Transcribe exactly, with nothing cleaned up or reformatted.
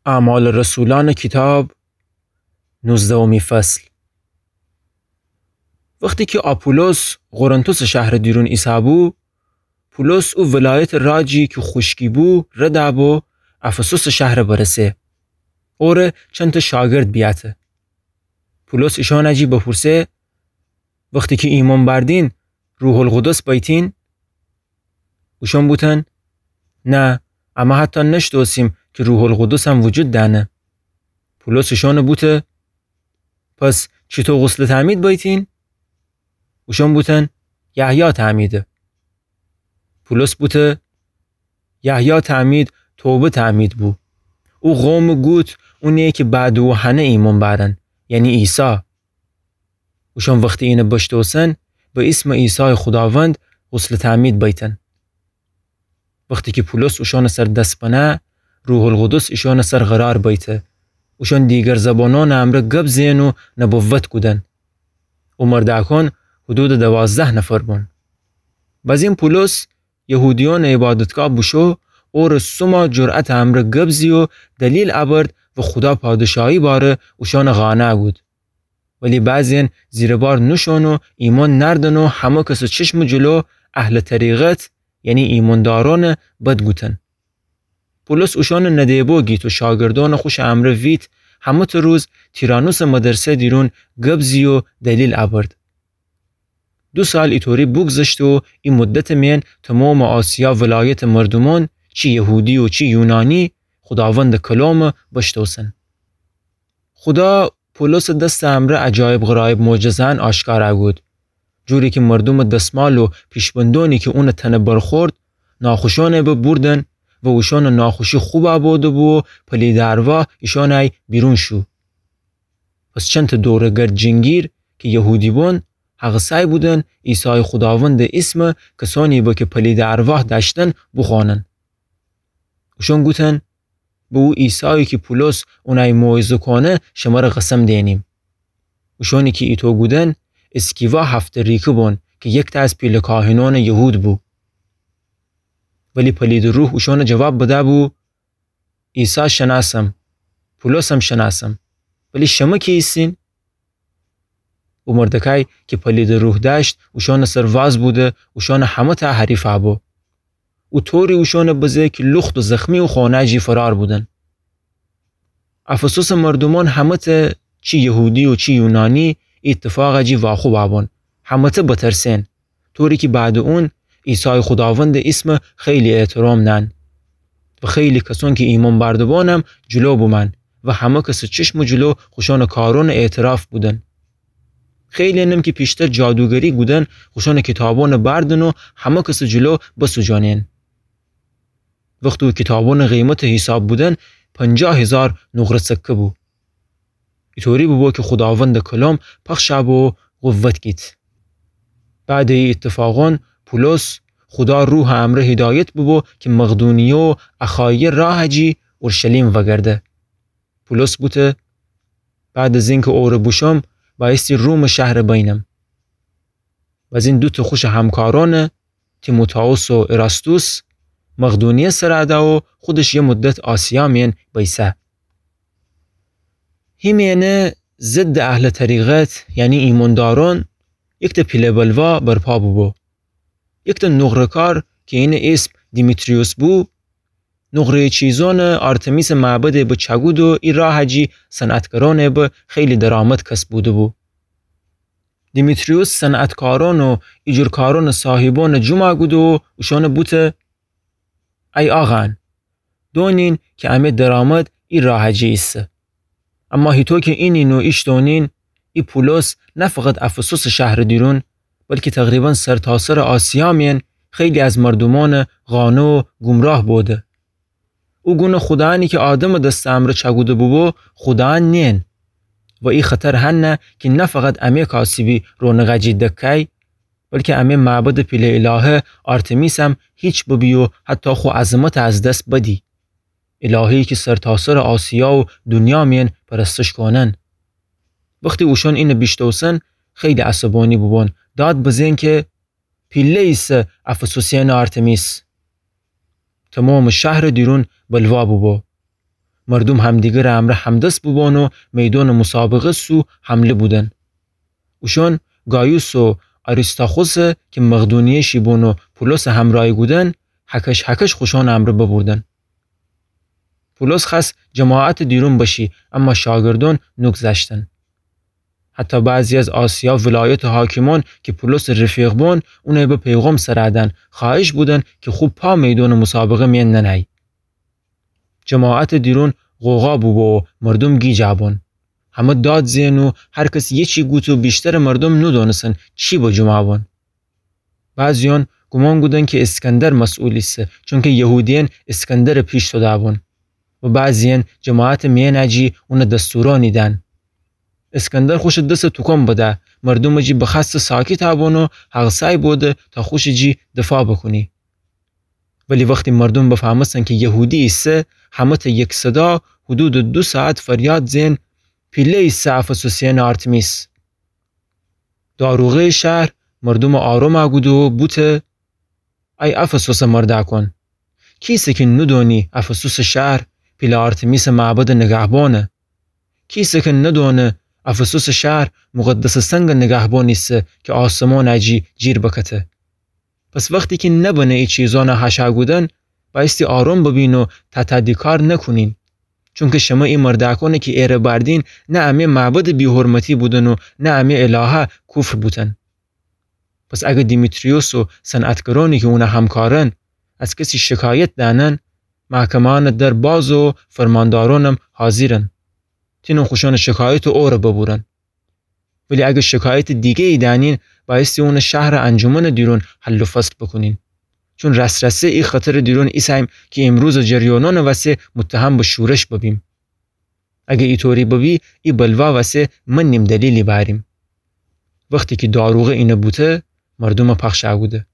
اعمال رسولان کیتاب، نوزدهمی فصل. وختی کی آپولوس قرنتوس شهر دیرون ایسه‌بو، پولس او ولایت راجی کی خوشکی بو ردأ بو افسوس شهر برسه. اوره چنته شاگرد بیأته. پولس ایشانه جی بپورسه، وختی کی ایمأن بردین، روح‌القدس بیتین؟ اوشان بوتن، نه، امه حتی نشتوسیم کی روح‌القدسم وجود دأنه. پولس ایشانه بوته، پس چیتو غسل تعمید بیتین؟ اوشان بوتن، یحیی تعمیده. پولس بوته، یحیی تعمید توبه تعمید بو. او قوم گوت اونی کی بعد او هنه ایمأن بأرن، یعنی عیسی. اوشان وختی اینه بشتوسن، به ایسم عیسی خوداوند غسل تعمید بیتن. وختی کی پولس اوشانٚ سر دس بنه، روح‌القدس ایشانٚ سر قرار بیته. اوشان دیگر زبانانٚ امرأ گب زئن و نبوت کودن. او مردأکان حدودٚ دوازده نفر بون. بزین پولس یهودیأنٚ عبادتگاه بوشو، اوره سوما جرأتٚ امرأ گب زی و دلیل ابرد و خودا پادشاهی باره اوشانٚ قانع کود. ولی بعضی‌یأن زیربار نوشون و ایمأن نأردن و همه کسٚ چشمٚ جلو اهلٚ طریقت، یعنی ایمأندارأنٚ بد گوتن. پولس اوشانٚ نده‌بو گیت و شاگردأنٚ خوشٚ امرأ ویت، همه‌تأ روز تیرانوسٚ مدرسه دیرون گب زی و دلیل ابرد. دو سال ایطوری بوگذشته و ای مدتٚ میأن تومامٚ آسیا ولایتٚ مردومأن، چی یهودی و چی یونانی، خوداوندٚ کلام بشتوسن. خودا پولسٚ دستٚ امرأ عجایب غرایب معجزه‌یأن آشکارا کود. جوری کی مردومٚ دسمال و پیشبندونی کی اونٚ تنه برخورد، ناخوشأنٚ ببردن و اوشانٚ ناخوشی خوبا بوده‌بو و پلیدٚ ارواح ایشانٚ بیرون شو. پس چنتٚ دوره‌گرد جینگیر کی یهودی بون، هغسای بودن عیسایٚ خوداوندٚ ایسمه کسانی به کی پلیدٚ ارواح دأشتن بوخوأنن. اوشان گوتن، به او عیسایی کی پولس اونأی موعظه کونه شمره قسم دئنیم. اوشانی کی ایتو گودن، اسکیوا هفته ریکه بون کی یکتأ از پیله کاهنونٚ یهود بو. ولی پلیدٚ روح اوشانه جواب بده‌بو، عیسی شنأسم، پولسم شنأسم، ولی شمه کی ایسین؟ او مردکای کی پلیدٚ روح دأشت اوشانٚ سر واز بوده، اوشانٚ همه‌تأ حریفا بو. او طوری اوشانه بزه کی لوخت و زخمی او خانه جی فرار بودن. افسوسٚ مردومأن همه‌تأ، چی یهودی و چی یونانی، ای ایتفاقه جی واخوبا بون. همه‌تأ بترسئن. طوری کی بعدٚ اون عیسایٚ خوداوندٚ ایسمه خیلی احترام نأن و خیلی کسأن کی ایمأن بأرده‌بانم جلو بومأن و همه کسٚ چشمٚ جلو خوشانٚ کارأنٚ اعتراف بودن. خیلی‌یأنم کی پیشتر جادوگری کودن خوشانٚ کیتابأنه بردن و همه کسٚ جلو بسوجانئن. وختی او کیتابأنٚ قیمتٚ حیساب بودن، پنجاه هیزار نقره سکه بو. ایطوری بوبو کی خوداوندٚ کلام پخشَ بو و قوت گیت. بعدٚ ای ایتفاقأن پولس خودا روحٚ امرأ هیدایت بوبو کی مقدونیه و اخایه راهٚ جی اورشلیم وگرده. پولس بوته، بعد از اینکه اوره بوشوم، بایستی رومٚ شهر بینم. بزین دوتأ خوشٚ همکارأنه، تیموتائوس و اراستوس، مقدونیه سر اده و خودش یه مدت آسیا مین بیسه. هیمینه ضدٚ اهلٚ طریقت، یعنی ایماندارأن، یکتأ پیله بلوا برپا بوبو. یکتأ نقره‌کار کی اینٚ اسم دیمیتریوس بو، نقره‌یٚ چیزأنٚ آرتمیسٚ معبدٚ به چأکود و ای راهٚ جی صنعتکارأنٚ به خیلی درآمد کسب بوده‌بو. دیمیتریوس صنعتکارأن و ایجورکارأنٚ صاحیبأنٚ جمع کود و اوشأنٚ بوته، ای آقاأن، دونین کی امه درآمد ای راهٚ جی ایسه. اما هیتو کی اینین و ایشتونین، ای پولس نه فقط افسوسٚ شهرٚ دیرون، بلکی تقریباً سرتاسرٚ آسیا مین خیلی از مردومأنٚ قانع و گمراه بوده. او گونٚ خودایأنی کی آدمٚ دستٚ امرأ چأکوده بوبو، خودایأن نین. و ای خطر هنه کی نه فقط امه کاسبی رونقٚ جی دکای، بلکی امه معبدٚ پیله الهه آرتمیسم هیچ ببی و حتی خو عظمت از دس بدی. الهه‌یی کی سرتاسرٚ آسیا و دونیا مین پرستش کونن. وختی اوشأن اینه بیشتوسن، خیلی عصبانی بوبون، داد بزین کی پیله ایسه افسوسیأنٚ آرتمیس. تومامٚ شهرٚ دیرون بلوا بوبو. مردوم همدیگرٚ امرأ همدس بوبون و میدونٚ مسابقه سو حمله بودن. اوشون گایوس و آریستاخوسٚ کی مقدونیه‌شی بون و پولسٚ همرأی بودن، هکش هکش خوشونٚ امرأ ببوردن. پولس خوأست جماعتٚ دیرون بشی، اما شاگردون نوگذشتن. حتی بعضی از آسیا ولایتٚ حاکمون کی پولسٚ رفیق بون، اونَ به پیغام سرادن، خوأهش بودن کی خو پا میدونٚ مسابقه میأن ننهی. جماعتٚ دیرون غوغا بوبو و مردوم گیجا بون. همه داد زئن و هر کس یه چی گوت و ویشترٚ مردوم نودونستن چی بجومأ بون. بعضیون گومان کودن کی اسکندر مسئول ایسه، چونکی یهودیأن اسکندرٚ پیش توده بون. و بعضیأن جماعتٚ میأنٚ جی اونَ دستورأنی دأن. اسکندر خوشٚ دسٚ توکون بده، مردومٚ جی بخوأسته ساکتأ بون و هغسأی بوده تا خوشٚ جی دفاع بوکونی. ولی وختی مردوم بفهمستن کی یهودی ایسه، همه ته یک صدا حدودٚ دو ساعت فریاد زئن: پیله ایسه افسوسیأنٚ آرتمیس! داروغه‌یٚ شهر مردومَ آرومَ کوده و بوته: ای افسوسٚ مردأکون! کیسه کی نودونی افسوسٚ شهر پیله آرتمیسٚ معبدٚ نگهبانه؟ کیسه کی ندونه افسوسٚ شهر مقدسٚ سنگٚ نگهبان ایسه کی آسمانٚ جی جیر بکته؟ پس وختی کی نبنه ای چیزأنَ هشأ کودن، بأیستی آروم ببین و تاتادیکار نکونین. چونکی شمه ای مردأکأنی کی ایره بأردین، نه امه معبدٚ بی‌حرمتی بودن و نه امه الهه کفر بوتن. پس اگر دیمیتریوس و صنعتگرأنی کی اونٚ همکارن از کسی شکایت دأنن، محکمه‌یأنٚ در بازه و فرماندارأنم حاضیرن. تینن خوشأنٚ شکایتَ اوره ببورن. ولی اگر شکایتٚ دیگه‌یی دأنین، بأیستی اونَ شهرٚ انجمنٚ دیرون حل و فصل بوکونین. چون راس‌راسی ای خطرٚ دیرون ایسه‌ییم کی ایمروزٚ جریانأنٚ وسه متهم به شورش ببیم. اگر ایطوری ببی، ای بلوا وسه منیم دلیلی بأریم. وختی کی داروغه اینَ بوته، مردومَ پخشَ کوده.